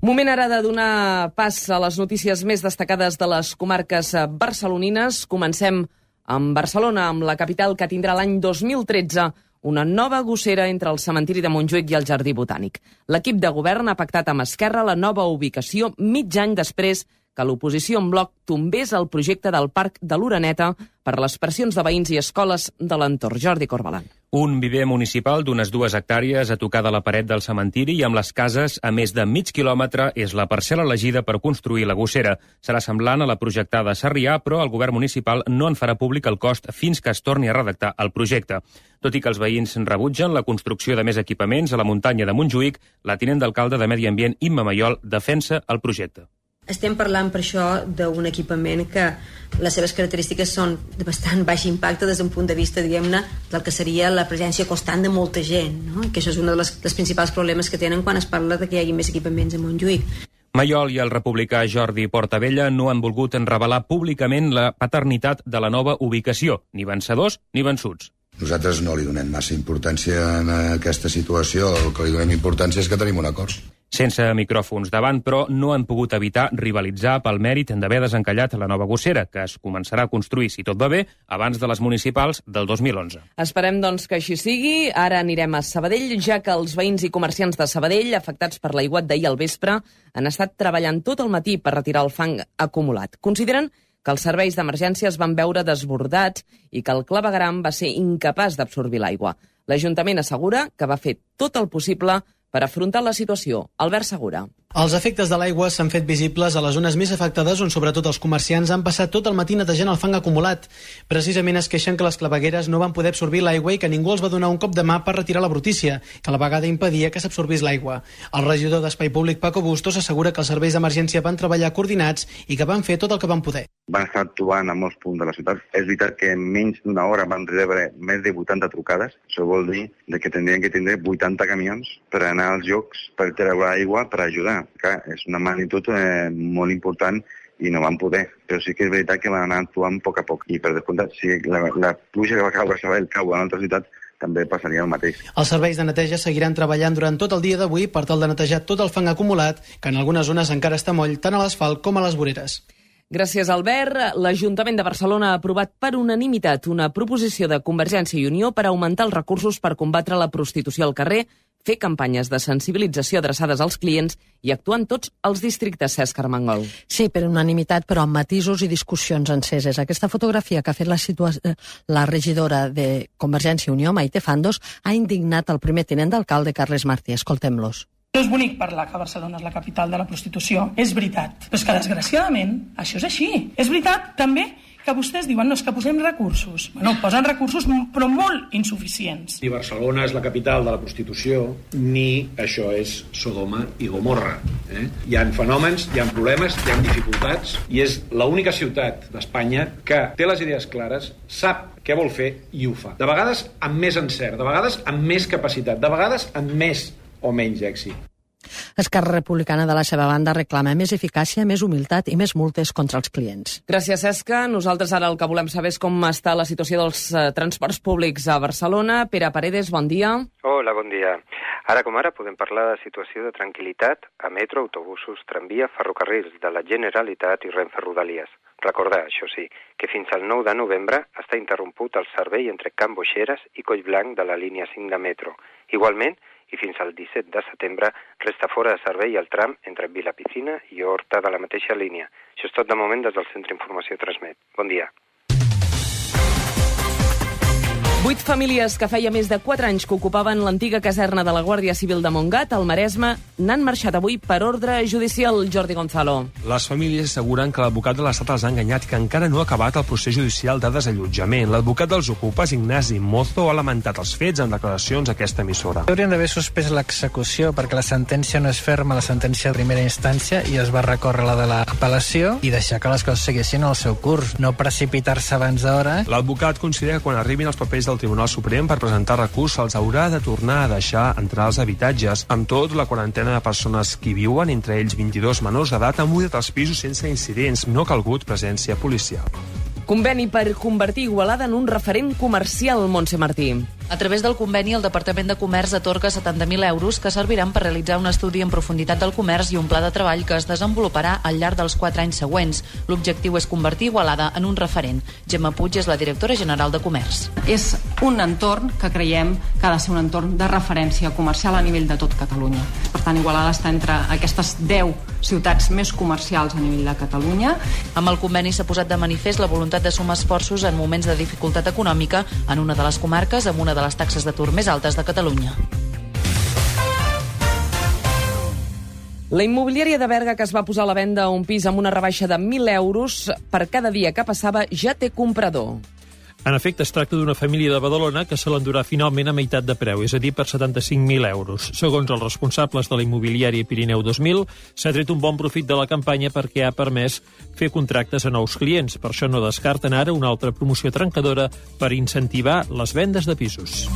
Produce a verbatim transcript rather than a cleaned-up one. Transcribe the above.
Moment ara de donar pas a les notícies més destacades de les comarques barcelonines. Comencem amb Barcelona, amb la capital que tindrà l'any dos mil tretze una nova gossera entre el cementiri de Montjuïc i el Jardí Botànic. L'equip de govern ha pactat amb Esquerra la nova ubicació mig any després que l'oposició en bloc tombés el projecte del Parc de l'Oreneta per les pressions de veïns i escoles de l'entorn. Jordi Corbalan. Un viver municipal d'unes dues hectàrees a tocar de la paret del cementiri i amb les cases a més de mig quilòmetre és la parcel·la elegida per construir la gossera. Serà semblant a la projectada a Sarrià, però el govern municipal no en farà públic el cost fins que es torni a redactar el projecte. Tot i que els veïns rebutgen la construcció de més equipaments a la muntanya de Montjuïc, la tinent d'alcalde de Medi Ambient, Imma Mayol, defensa el projecte. Estem parlant per això d'un equipament que les seves característiques són de bastant baix impacte des d'un punt de vista, diguem-ne, del que seria la presència constant de molta gent, no? I que això és un dels, dels principals problemes que tenen quan es parla de que hi hagi més equipaments a Montjuïc. Mayol i el republicà Jordi Portabella no han volgut revelar públicament la paternitat de la nova ubicació, ni vencedors ni vençuts. Nosaltres no li donem massa importància en aquesta situació, el que li donem importància és que tenim un acord. Sense micròfons davant, però, no han pogut evitar rivalitzar pel mèrit d'haver desencallat la nova gossera, que es començarà a construir, si tot va bé, abans de les municipals del dos mil onze. Esperem, doncs, que així sigui. Ara anirem a Sabadell, ja que els veïns i comerciants de Sabadell, afectats per l'aiguat d'ahir al vespre, han estat treballant tot el matí per retirar el fang acumulat. Consideren que els serveis d'emergència es van veure desbordats i que el clavegueram va ser incapaç d'absorbir l'aigua. L'Ajuntament assegura que va fer tot el possible per afrontar la situació. Albert Segura. Els efectes de l'aigua s'han fet visibles a les zones més afectades on sobretot els comerciants han passat tot el matí netejant el fang acumulat. Precisament es queixen que les clavegueres no van poder absorbir l'aigua i que ningú els va donar un cop de mà per retirar la brutícia, que a la vegada impedia que s'absorbís l'aigua. El regidor d'Espai Públic, Paco Bustos, assegura que els serveis d'emergència van treballar coordinats i que van fer tot el que van poder. Van estar actuant a molts punts de la ciutat. És veritat que en menys d'una hora van rebre més de vuitanta trucades. Això vol dir que tindrien que tindre vuitanta camions per anar als llocs per treure aigua per ajudar. Clar, és una magnitud eh, molt important i no van poder, però sí que és veritat que van anar actuant a poc a poc. I per descomptat, si la, la pluja que va caure a Sabadell cau a una altra ciutat, també passaria el mateix. Els serveis de neteja seguiran treballant durant tot el dia d'avui per tal de netejar tot el fang acumulat, que en algunes zones encara està moll tant a l'asfalt com a les voreres. Gràcies, Albert. L'Ajuntament de Barcelona ha aprovat per unanimitat una proposició de Convergència i Unió per augmentar els recursos per combatre la prostitució al carrer, fer campanyes de sensibilització adreçades als clients i actuar en tots els districtes. Cesc Armengol. Sí, per unanimitat, però amb matisos i discussions enceses. Aquesta fotografia que ha fet la, la regidora de Convergència i Unió, Maite Fandos, ha indignat el primer tinent d'alcalde, Carles Martí. Escoltem-los. No és bonic parlar que Barcelona és la capital de la prostitució, és veritat. Però és que, desgraciadament, això és així. És veritat, també, que vostès diuen, no, és que posem recursos. Bueno, posen recursos, però molt insuficients. Ni Barcelona és la capital de la prostitució, ni això és Sodoma i Gomorra. Eh? Hi ha fenòmens, hi ha problemes, hi ha dificultats, i és l'única ciutat d'Espanya que té les idees clares, sap què vol fer i ho fa. De vegades amb més encert, de vegades amb més capacitat, de vegades amb més o menys èxit. Esquerra Republicana, de la seva banda, reclama més eficàcia, més humilitat i més multes contra els clients. Gràcies, Cesca. Nosaltres ara el que volem saber és com està la situació dels uh, transports públics a Barcelona. Pere Paredes, bon dia. Hola, bon dia. Ara com ara podem parlar de situació de tranquil·litat a metro, autobusos, tramvia, ferrocarrils de la Generalitat i Renfe Rodalies. Recordar, això sí, que fins al nou de novembre està interromput el servei entre Can Boixeres i Collblanc de la línia cinc de metro. Igualment, i fins al disset de setembre resta fora de servei el tram entre Vilapicina i Horta de la mateixa línia. Això és tot de moment des del Centre Informació Transmet. Bon dia. Vuit famílies que feia més de quatre anys que ocupaven l'antiga caserna de la Guàrdia Civil de Montgat, al Maresme, n'han marxat avui per ordre judicial. Jordi Gonzalo. Les famílies asseguren que l'advocat de l'Estat els ha enganyat i que encara no ha acabat el procés judicial de desallotjament. L'advocat dels ocupes, Ignasi Mozo, ha lamentat els fets en declaracions a aquesta emissora. Haurien d'haver suspès l'execució perquè la sentència no és ferma, la sentència de primera instància, i es va recórrer la de l'apel·lació i deixar que les coses seguissin el seu curs, no precipitar-se abans d'hora. L'advocat considera que quan arribin els papers del Tribunal Suprem per presentar recurs se'ls haurà de tornar a deixar entrar als habitatges. Amb tot, la quarantena de persones que hi viuen, entre ells vint-i-dos menors d'edat, han mudat els pisos sense incidents. No ha calgut presència policial. Conveni per convertir Igualada en un referent comercial, Montse Martí. A través del conveni, el Departament de Comerç atorga setanta mil euros que serviran per realitzar un estudi en profunditat del comerç i un pla de treball que es desenvoluparà al llarg dels quatre anys següents. L'objectiu és convertir Igualada en un referent. Gemma Puig és la directora general de Comerç. És un entorn que creiem que ha de ser un entorn de referència comercial a nivell de tot Catalunya. Per tant, Igualada està entre aquestes deu ciutats més comercials a nivell de Catalunya. Amb el conveni s'ha posat de manifest la voluntat de sumar esforços en moments de dificultat econòmica en una de les comarques amb una de les taxes d'atur més altes de Catalunya. La immobiliària de Berga, que es va posar a la venda un pis amb una rebaixa de mil euros per cada dia que passava, ja té comprador. En efecte, es tracta d'una família de Badalona que se l'endurà finalment a meitat de preu, és a dir, per setanta-cinc mil euros. Segons els responsables de la immobiliària Pirineu dos mil, s'ha tret un bon profit de la campanya perquè ha permès fer contractes a nous clients. Per això no descarten ara una altra promoció trencadora per incentivar les vendes de pisos.